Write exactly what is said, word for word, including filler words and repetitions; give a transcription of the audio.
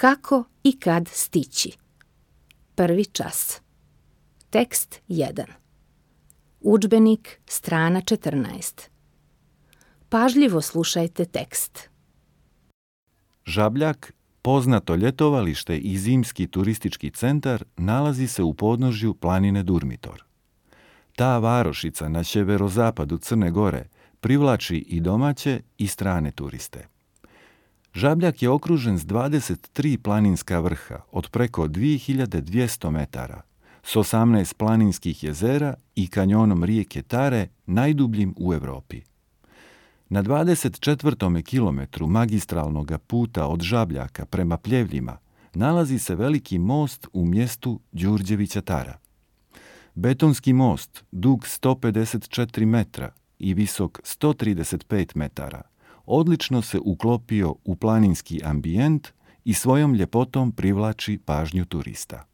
Kako i kad stići? Prvi čas. Tekst jedan. Udžbenik, strana četrnaest. Pažljivo slušajte tekst. Žabljak, poznato ljetovalište i zimski turistički centar, nalazi se u podnožju planine Durmitor. Ta varošica na sjeverozapadu Crne Gore privlači i domaće i strane turiste. Žabljak je okružen s dvadeset tri planinska vrha od preko dvije hiljade dvjesto metara, s osamnaest planinskih jezera i kanjonom rijeke Tare, najdubljim u Europi. Na dvadeset četvrtom kilometru magistralnog puta od Žabljaka prema Pljevljima nalazi se veliki most u mjestu Đurđevića Tara. Betonski most, dug sto pedeset četiri metra i visok sto trideset pet metara, odlično se uklopio u planinski ambijent i svojom ljepotom privlači pažnju turista.